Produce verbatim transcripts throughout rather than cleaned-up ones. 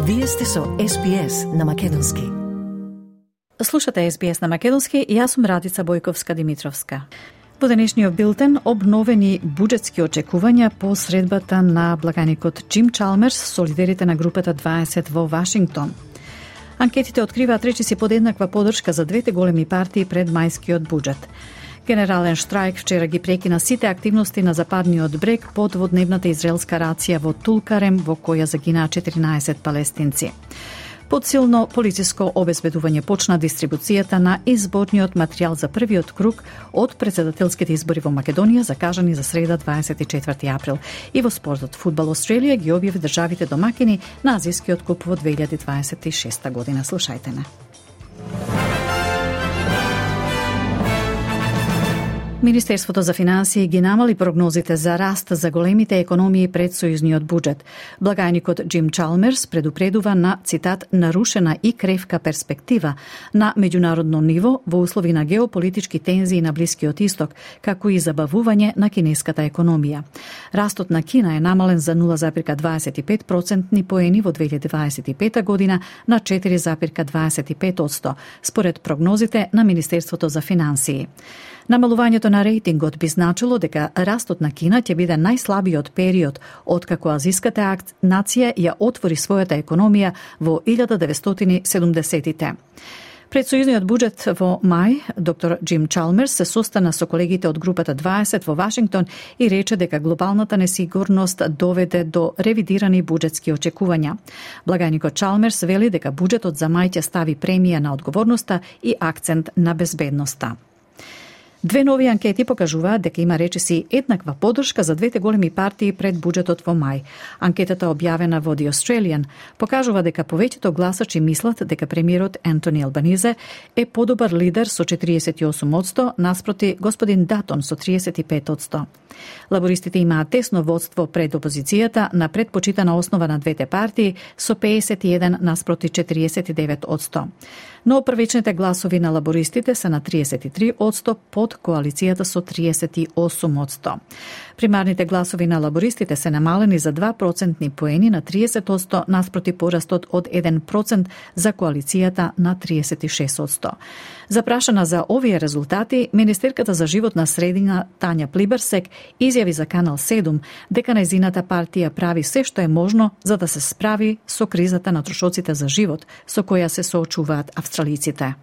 Вие сте со Ес Би Ес на Македонски. Слушате Ес Би Ес на Македонски и јас сум Радица Бојковска-Димитровска. Во денешниот билтен обновени буџетски очекувања по средбата на благаникот Џим Чалмерс со лидерите на групата дваесет во Вашингтон. Анкетите откриваат речиси подеднаква поддршка за двете големи партии пред мајскиот буџет. Генерален штрајк вчера ги прекина сите активности на западниот брег по дводневната израелска рација во Тулкарем, во која загинаа четиринаесет палестинци. Под силно полициско обезбедување почна дистрибуцијата на изборниот материјал за првиот круг од претседателските избори во Македонија, закажани за среда дваесет и четврти април. И во спортот, Фудбал Австралија ги објави државите домакини на Азискиот куп во две илјади дваесет и шеста година. Слушајте не. Министерството за финансии ги намали прогнозите за раст за големите економии пред сојузниот буџет. Благајникот Џим Чалмерс предупредува на, цитат, нарушена и кревка перспектива на меѓународно ниво во услови на геополитички тензии на Блискиот Исток, како и забавување на кинеската економија. Растот на Кина е намален за нула зарез дваесет и пет процентни поени во две илјади дваесет и пета година на четири зарез дваесет и пет одсто, според прогнозите на Министерството за финансии. Намалувањето на рейтингот би значило дека растот на Кина ќе биде најслабиот период откако азиската нација ја отвори својата економија во илјада деветстотини и седумдесеттите. Пред сојузниот буџет во мај, доктор Џим Чалмерс се состана со колегите од групата дваесет во Вашингтон и рече дека глобалната несигурност доведе до ревидирани буџетски очекувања. Благајникот Чалмерс вели дека буџетот за мај ќе стави премија на одговорноста и акцент на безбедноста. Две нови анкети покажуваат дека има речиси еднаква поддршка за двете големи партии пред буџетот во мај. Анкетата објавена во The Australian покажува дека повеќето гласачи мислат дека премиерот Ентони Албанизе е подобар лидер со четириесет и осум одсто наспроти господин Датон со триесет и пет одсто. Лабористите имаат тесно водство пред опозицијата на предпочитана основа на двете партии со пеесет и еден наспроти четириесет и девет одсто. Но првичните гласови на лабористите се на триесет и три одсто под коалицијата со триесет и осум одсто. Примарните гласови на лабористите се намалени за два процентни поени на триесет одсто наспроти порастот од еден процент за коалицијата на триесет и шест одсто. Запрашана за овие резултати, Министерката за животна средина Тања Плиберсек изјави за Канал седум дека нејзината партија прави се што е можно за да се справи со кризата на трошоците за живот со која се соочуваат австралиците.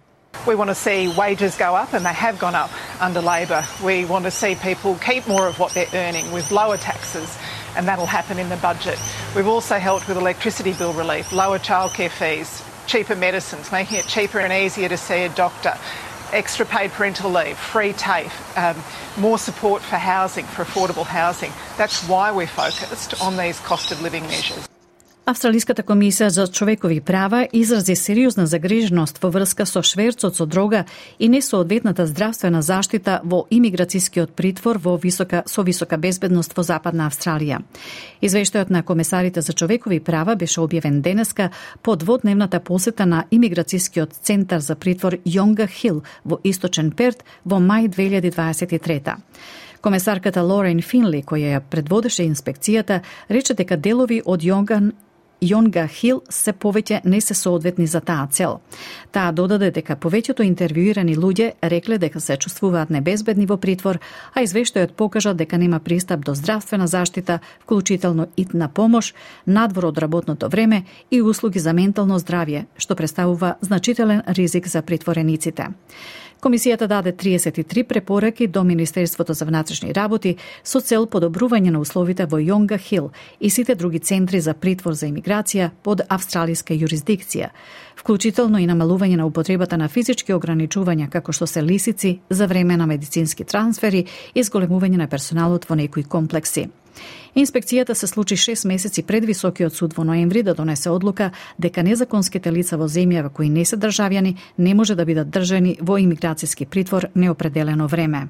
We want to see wages go up, and they have gone up under Labor. We want to see people keep more of what they're earning with lower taxes, and that'll happen in the budget. We've also helped with electricity bill relief, lower childcare fees, cheaper medicines, making it cheaper and easier to see a doctor, extra paid parental leave, free TAFE, um, more support for housing, for affordable housing. That's why we're focused on these cost of living measures. Австралиската комисија за човекови права изрази сериозна загриженост во врска со шверцот со дрога и несоодветната здравствена заштита во имиграцијскиот притвор во висока со висока безбедност во Западна Австралија. Извештајот на комесарите за човекови права беше објавен денеска по дводневната посета на имиграцијскиот центар за притвор Јонга Хил во Источен Перт во мај две илјади дваесет и трета. Комесарката Лорен Финли, која ја предводеше инспекцијата, рече дека делови од Јонган Јонга Хил се повеќе не се соодветни за таа цел. Таа додаде дека повеќето интервјуирани луѓе рекле дека се чувствуваат небезбедни во притвор, а извештајот покажа дека нема пристап до здравствена заштита, вклучително итна помош, надвор од работното време и услуги за ментално здравје, што представува значителен ризик за притворениците. Комисијата даде триесет и три препораки до Министерството за внатрешни работи со цел подобрување на условите во Јонга Хил и сите други центри за притвор за имиграција под австралиска юрисдикција, вклучително и намалување на употребата на физички ограничувања како што се лисици за време на медицински трансфери и зголемување на персоналот во некои комплекси. Инспекцијата се случи шест месеци пред Високиот суд во ноември да донесе одлука дека незаконските лица во земја кои не се државјани не може да бидат држани во имиграцијски притвор неопределено време.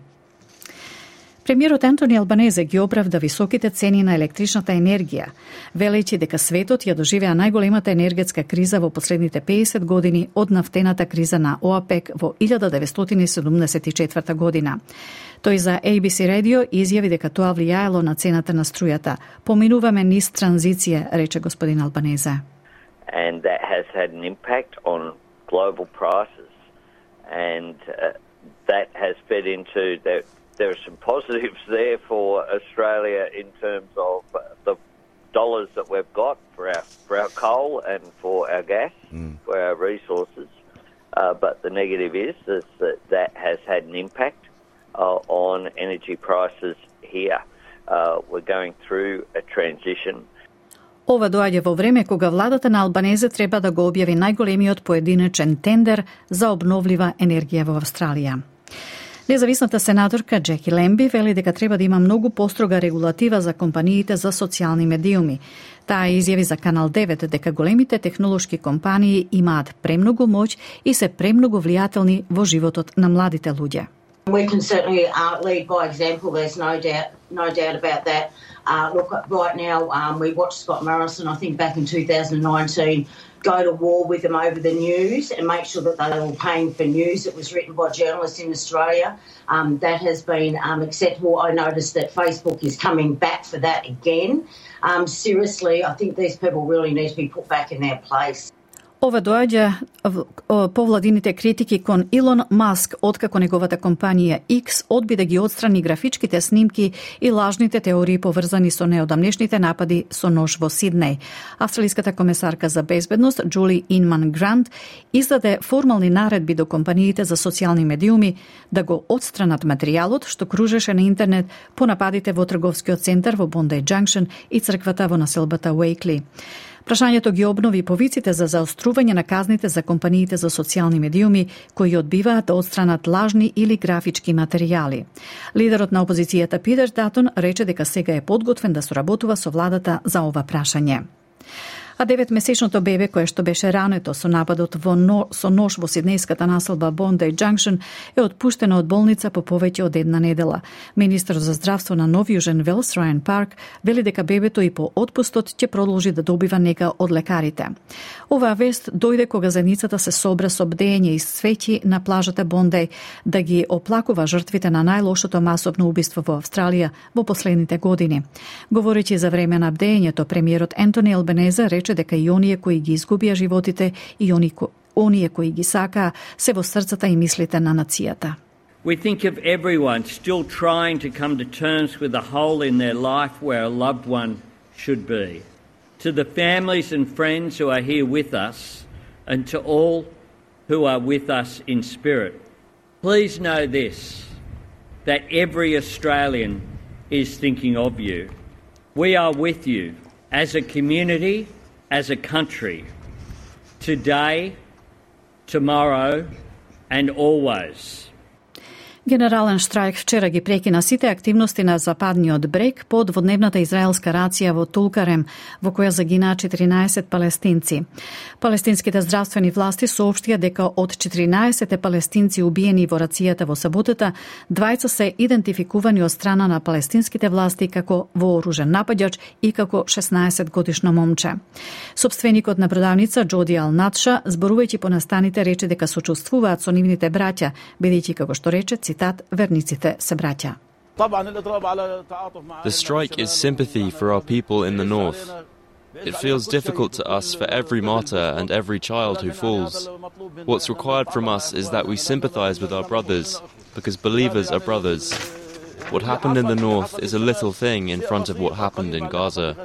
Премиерот Ентони Албанезе ги оправда високите цени на електричната енергија, велејќи дека светот ја доживеа најголемата енергетска криза во последните пеесет години од нафтената криза на ОАПЕК во илјада деветстотини и седумдесет и четврта година. Тој за Ей Би Си радио изјави дека тоа влијаело на цената на струјата. Поминуваме низ транзиција, рече господин Албанезе. and that has had an impact on global prices, and uh, that has fed into that. There are some positives there for Australia in terms of uh, the dollars that we've got for our for our coal and for our gas, mm. for our resources. Uh, but the negative is, is that that has had an impact uh, on energy prices here. Uh, we're going through a transition. Ова доаѓа во време кога владата на Албанезе треба да го објави најголемиот поединечен тендер за обновлива енергија во Австралија. Независната сенаторка Джеки Лемби вели дека треба да има многу построга регулатива за компаниите за социјални медиуми. Таа изјави за Канал девет дека големите технолошки компании имаат премногу моќ и се премногу влијателни во животот на младите луѓе. We can certainly uh, lead by example. There's no doubt, no doubt about that. Uh, look, right now um, we watched Scott Morrison, I think back in two thousand nineteen, go to war with them over the news and make sure that they were paying for news that was written by journalists in Australia. Um, that has been um, acceptable. I noticed that Facebook is coming back for that again. Um, seriously, I think these people really need to be put back in their place. Ова доаѓа по владините критики кон Илон Маск, откако неговата компанија X одби да ги отстрани графичките снимки и лажните теории поврзани со неодамнешните напади со нож во Сиднеј. Австралиската комесарка за безбедност Джули Инман Грант издаде формални наредби до компаниите за социјални медиуми да го отстранат материјалот што кружеше на интернет по нападите во трговскиот центар во Bondi Junction и црквата во населбата Уејкли. Прашањето ги обнови повиците за заострување на казните за компаниите за социјални медиуми кои одбиваат да отстранат лажни или графички материјали. Лидерот на опозицијата Питер Датон рече дека сега е подготвен да соработува со владата за ова прашање. А деветмесечното бебе кое што беше рането со нападот во но, со нож во сиднејската населба Bondi Junction е отпуштено од болница по повеќе од една недела. Министер за здравство на Нов Јужен Велс Рајан Парк вели дека бебето и по отпустот ќе продолжи да добива нега од лекарите. Оваа вест дојде кога заедницата се собра со бдење и свеќи на плажата Bondi да ги оплакува жртвите на најлошото масовно убиство во Австралија во последните години. Говорејќи за време на бдењето, премиерот Ентони Албанезе рече дека и оние кои ги изгубија животите и они, оние кои ги сакаа се во срцата и мислите на нацијата. We think of everyone still trying to come to terms with a hole in their life where a loved one should be. To the families and friends who are here with us, and to all who are with us in spirit, please know this, that every Australian is thinking of you. We are with you as a community, as a country, today, tomorrow and always. Генерален штрајк вчера ги прекина сите активности на западниот брег по дводневната израелска рација во Тулкарем, во која загинаа четиринаесет палестинци. Палестинските здравствени власти соопштија дека од четиринаесет палестинци убиени во рацијата во саботата, двајца се идентификувани од страна на палестинските власти како вооружен нападјач и како шеснаесет годишно момче. Собственикот на продавница Џоди Ал Натша, зборувајќи по настаните, рече дека сочувствуваат со нивните браќа, бидејќи како што рече, верниците се браќа. The strike is sympathy for our people in the north. It feels difficult to us for every martyr and every child who falls. What's required from us is that we sympathize with our brothers, because believers are brothers. What happened in the north is a little thing in front of what happened in Gaza.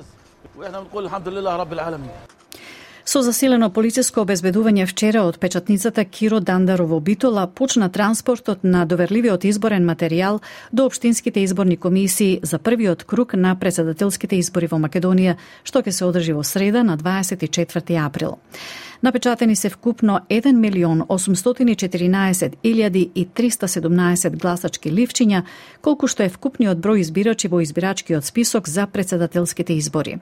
Со засилено полициско обезбедување вчера од печатницата Киро Дандарово Битола почна транспортот на доверливиот изборен материјал до општинските изборни комисии за првиот круг на претседателските избори во Македонија, што ќе се одржи во среда на дваесет и четврти април. Напечатени се вкупно еден милион осумстотини и четиринаесет илјади и триста седумнаесет гласачки ливчиња, колку што е вкупниот број избирачи во избирачкиот список за претседателските избори.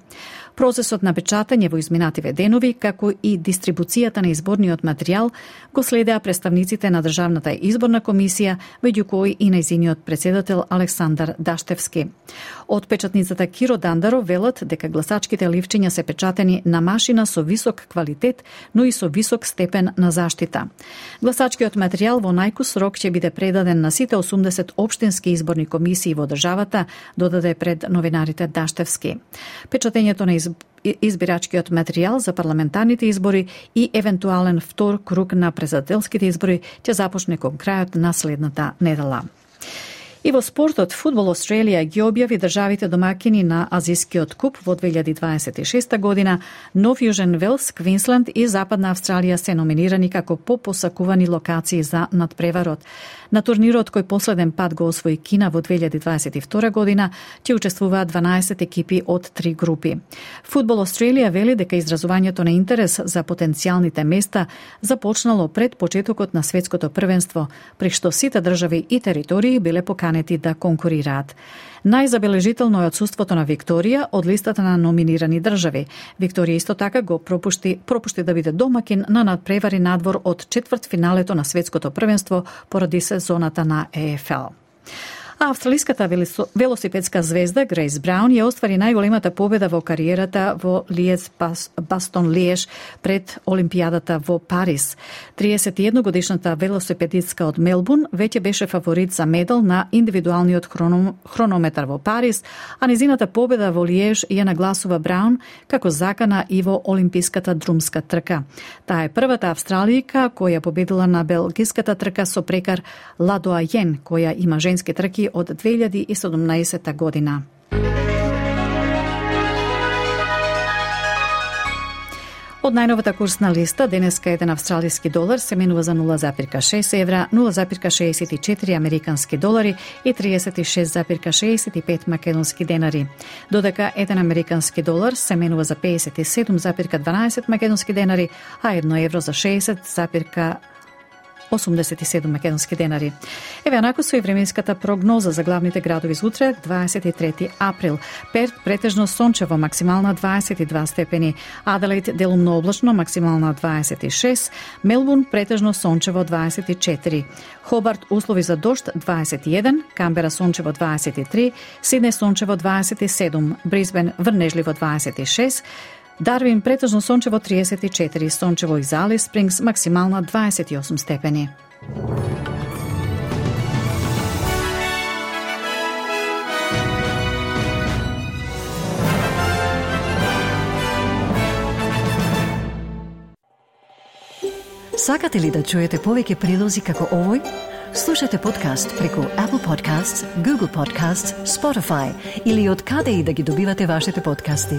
Процесот на печатање во изминативе денови, како и дистрибуцијата на изборниот материјал, го следеа представниците на Државната изборна комисија, меѓу кои и нејзиниот претседател Александар Даштевски. Од печатницата Киро Дандаро велат дека гласачките ливчиња се печатени на машина со висок квалитет, но и со висок степен на заштита. Гласачкиот материјал во најкус рок ќе биде предаден на сите осумдесет општински изборни комисии во државата, додаде пред новинарите Даштевски. Печатењето на изб... избирачкиот материјал за парламентарните избори и евентуален втор круг на президентските избори ќе започне кон крајот на следната недела. И во спортот, Фудбал Австралија ги објави државите домакини на Азискиот куп во две илјади дваесет и шеста година. Нов Јужен Велс, Квинсленд и Западна Австралија се номинирани како попосакувани локации за надпреварот. На турнирот кој последен пат го освои Кина во две илјади дваесет и втора година ќе учествуваат дванаесет екипи од три групи. Фудбал Австралија вели дека изразувањето на интерес за потенцијалните места започнало пред почетокот на светското првенство, при што сите држави и територии биле поканети да конкурираат. Најзабележително е отсуството на Викторија од листата на номинирани држави. Викторија исто така го пропушти, пропушти да биде домакин на надпревари надвор од четвртфиналето на светското првенство поради сезоната на Е Ф Л. А австралиската велосипедска звезда Грейс Браун ја оствари најголемата победа во кариерата во Лиез Бастон Лиеш пред Олимпијадата во Париз. триесет и една годишната велосипедистка од Мелбурн веќе беше фаворит за медал на индивидуалниот хроном, хронометар во Париз, а незината победа во Лиеш ја нагласува Браун како закана и во олимписката друмска трка. Таа е првата австралијка која победила на белгиската трка со прекар Ладоа Јен, која има женски трки од две илјади и седумнаесетта година. Од најновата курсна листа, денеска еден австралиски долар се менува за нула запирка шест евра, нула запирка шеесет и четири американски долари и триесет и шест запирка шеесет и пет македонски денари. Додека еден американски долар се менува за пеесет и седум запирка дванаесет македонски денари, а едно евро за шеесет запирка осумдесет и седум македонски денари. Еве анако со и временската прогноза за главните градови за утре, дваесет и трети април. Перт претежно сончево, максимална дваесет и два степени. Аделаид делумно облачно, максимална дваесет и шест. Мелбурн претежно сончево, дваесет и четири. Хобарт услови за дожд, дваесет и еден. Камбера сончево, дваесет и три. Сиднеј сончево, дваесет и седум. Брисбен врнежливо, дваесет и шест. Дарвин претежно сончево триесет и четири, сончево и за Алис Спрингс максимална дваесет и осум степени. Сакате ли да чуете повеќе прилози како овој? Слушате подкаст преку Apple Podcasts, Google Podcasts, Spotify или од каде и да ги добивате вашите подкасти.